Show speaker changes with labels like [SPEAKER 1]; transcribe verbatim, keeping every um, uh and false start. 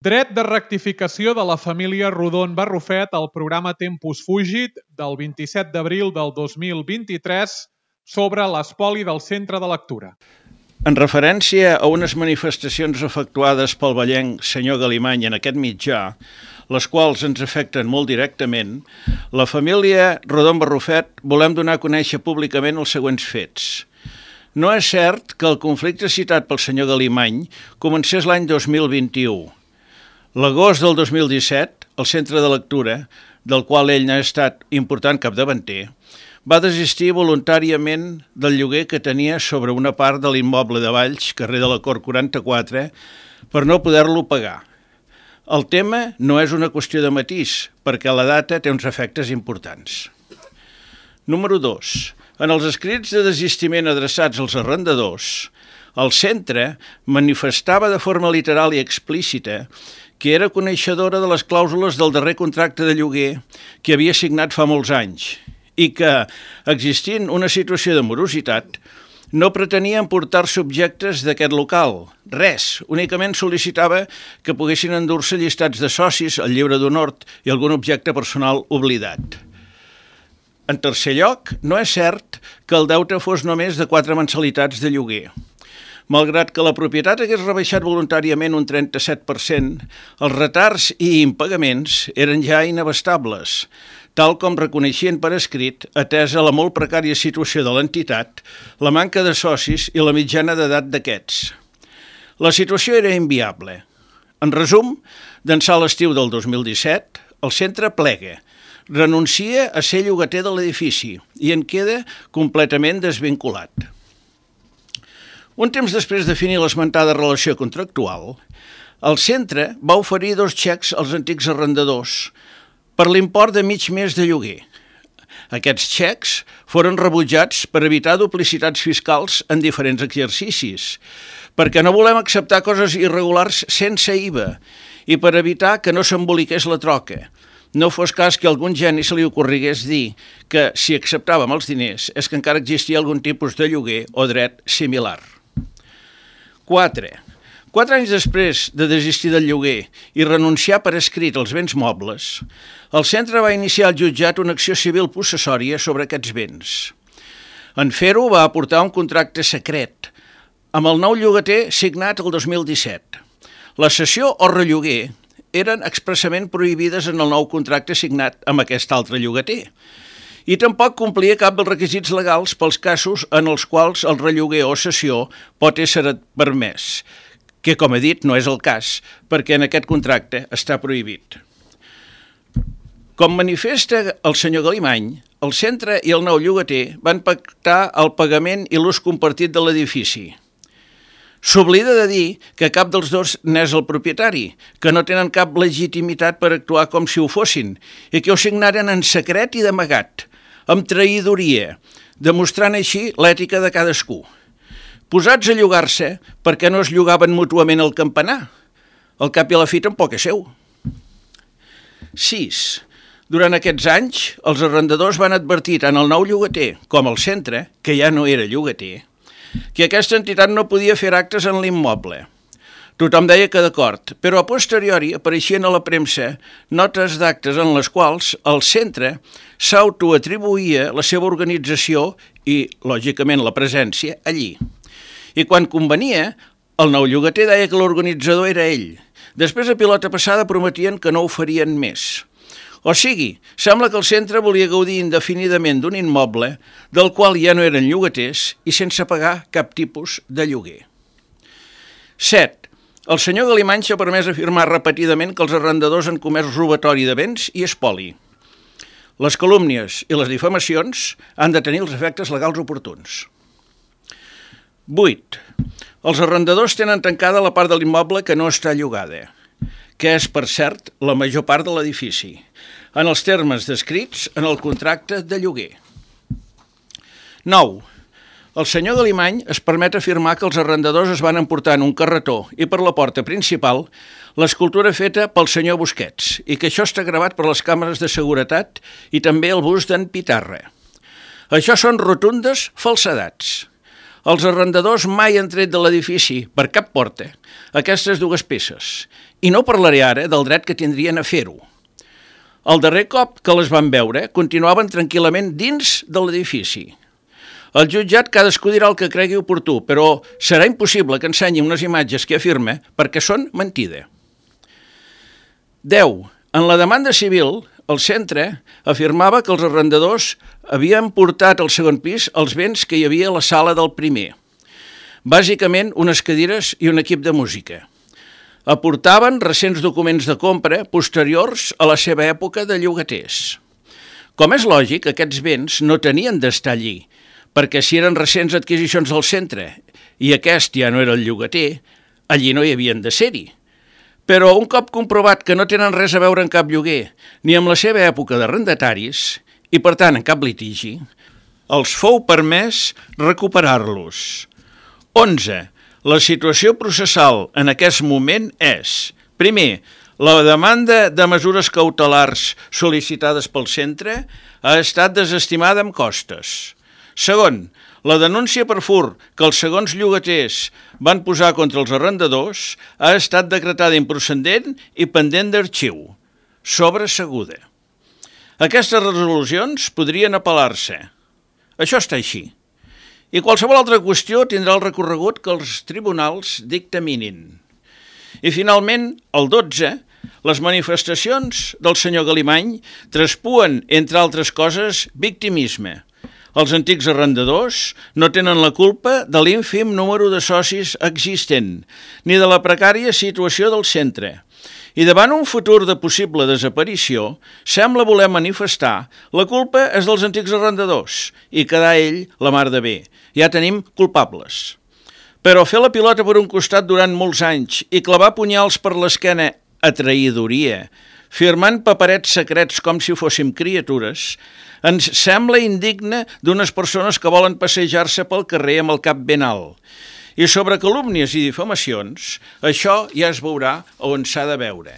[SPEAKER 1] Dret de rectificació de la família Rodon Barrufet al programa Tempus Fugit del vint-i-set d'abril del dos mil vint-i-tres sobre l'espoli del centre de lectura.
[SPEAKER 2] En referència a unes manifestacions efectuades pel vallenc senyor Galimany en aquest mitjà, les quals ens afecten molt directament, la família Rodon Barrufet volem donar a conèixer públicament els següents fets. No és cert que el conflicte citat pel senyor Galimany comencés l'any dos mil vint-i-u. L'agost del dos mil disset, el centre de lectura, del qual ell n'ha estat important capdavanter, va desistir voluntàriament del lloguer que tenia sobre una part de l'immoble de Valls, carrer de la Cort quaranta-quatre, per no poder-lo pagar. El tema no és una qüestió de matís, perquè la data té uns efectes importants. Número dos. En els escrits de desistiment adreçats als arrendadors, el centre manifestava de forma literal i explícita que era coneixedora de les clàusules del darrer contracte de lloguer que havia signat fa molts anys i que, existint una situació de morositat, no pretenia emportar-se objectes d'aquest local. Res, únicament sol·licitava que poguessin endur-se llistats de socis, el llibre d'honor i algun objecte personal oblidat. En tercer lloc, no és cert que el deute fos només de quatre mensalitats de lloguer. Malgrat que la propietat hagués rebaixat voluntàriament un trenta-set per cent, els retards i impagaments eren ja inabastables, tal com reconeixien per escrit, atesa la molt precària situació de l'entitat, la manca de socis i la mitjana d'edat d'aquests. La situació era inviable. En resum, d'ençà l'estiu del dos mil disset, el centre plega, renuncia a ser llogater de l'edifici i en queda completament desvinculat. Un temps després de definir l'esmentada relació contractual, el centre va oferir dos xecs als antics arrendadors per l'import de mig mes de lloguer. Aquests xecs foren rebutjats per evitar duplicitats fiscals en diferents exercicis, perquè no volem acceptar coses irregulars sense I V A i per evitar que no s'emboliqués la troca. No fos cas que a algun geni se li ocorrigués dir que si acceptàvem els diners és que encara existia algun tipus de lloguer o dret similar. quatre. Quatre anys després de desistir del lloguer i renunciar per escrit als béns mobles, el centre va iniciar al jutjat una acció civil possessòria sobre aquests béns. En fer-ho va aportar un contracte secret amb el nou llogater signat el dos mil disset. La cessió o relloguer eren expressament prohibides en el nou contracte signat amb aquest altre llogater i tampoc complia cap dels requisits legals pels casos en els quals el relloguer o cessió pot ésser permès, que, com he dit, no és el cas, perquè en aquest contracte està prohibit. Com manifesta el senyor Galimany, el centre i el nou llogater van pactar el pagament i l'ús compartit de l'edifici. S'oblida de dir que cap dels dos n'és el propietari, que no tenen cap legitimitat per actuar com si ho fossin i que ho signaren en secret i d'amagat, amb traïdoria, demostrant així l'ètica de cadascú. Posats a llogar-se perquè no es llogaven mútuament el campanar. Al cap i a la fi tampoc és seu. sis. Durant aquests anys, els arrendadors van advertir tant el nou llogater com el centre, que ja no era llogater, que aquesta entitat no podia fer actes en l'immoble. Tothom deia que d'acord, però a posteriori apareixien a la premsa notes d'actes en les quals el centre s'autoatribuïa la seva organització i, lògicament, la presència allí. I quan convenia, el nou llogater deia que l'organitzador era ell. Després, a pilota passada, prometien que no ho farien més. O sigui, sembla que el centre volia gaudir indefinidament d'un immoble del qual ja no eren llogaters i sense pagar cap tipus de lloguer. set. El senyor Galimany s'ha permès afirmar repetidament que els arrendadors han comès robatori de béns i espoli. Les calúmnies i les difamacions han de tenir els efectes legals oportuns. vuit. Els arrendadors tenen tancada la part de l'immoble que no està llogada, que és, per cert, la major part de l'edifici, en els termes descrits en el contracte de lloguer. nou. El senyor Galimany es permet afirmar que els arrendadors es van emportar en un carretó i per la porta principal l'escultura feta pel senyor Busquets i que això està gravat per les càmeres de seguretat i també el bust d'en Pitarra. Això són rotundes falsedats. Els arrendadors mai han tret de l'edifici, per cap porta, aquestes dues peces, i no parlaré ara del dret que tindrien a fer-ho. El darrer cop que les van veure, continuaven tranquil·lament dins de l'edifici. El jutjat cadascú dirà el que cregui oportú, però serà impossible que ensenyi unes imatges que afirma perquè són mentida. deu. En la demanda civil, el centre afirmava que els arrendadors havien portat al segon pis els béns que hi havia a la sala del primer. Bàsicament, unes cadires i un equip de música. Aportaven recents documents de compra posteriors a la seva època de llogaters. Com és lògic, aquests béns no tenien d'estar allí, perquè si eren recents adquisicions del centre i aquest ja no era el llogater, allí no hi havien de ser-hi. Però un cop comprovat que no tenen res a veure en cap lloguer, ni amb la seva època d'arrendataris, i per tant en cap litigi, els fou permès recuperar-los. onze. La situació processal en aquest moment és, primer, la demanda de mesures cautelars sol·licitades pel centre ha estat desestimada amb costes. Segon, la denúncia per furt que els segons llogaters van posar contra els arrendadors ha estat decretada improcedent i pendent d'arxiu, sobreseguda. Aquestes resolucions podrien apel·lar-se. Això està així. I qualsevol altra qüestió tindrà el recorregut que els tribunals dictaminin. I finalment, el dotze, les manifestacions del senyor Galimany traspuen, entre altres coses, victimisme. Els antics arrendadors no tenen la culpa de l'ínfim número de socis existent, ni de la precària situació del centre. I davant un futur de possible desaparició, sembla voler manifestar la culpa és dels antics arrendadors i quedar ell la mar de bé. Ja tenim culpables. Però fer la pilota per un costat durant molts anys i clavar punyals per l'esquena a traïdoria, firmant paperets secrets com si fóssim criatures, ens sembla indigne d'unes persones que volen passejar-se pel carrer amb el cap ben alt. I sobre calúmnies i difamacions, això ja es veurà on s'ha de veure.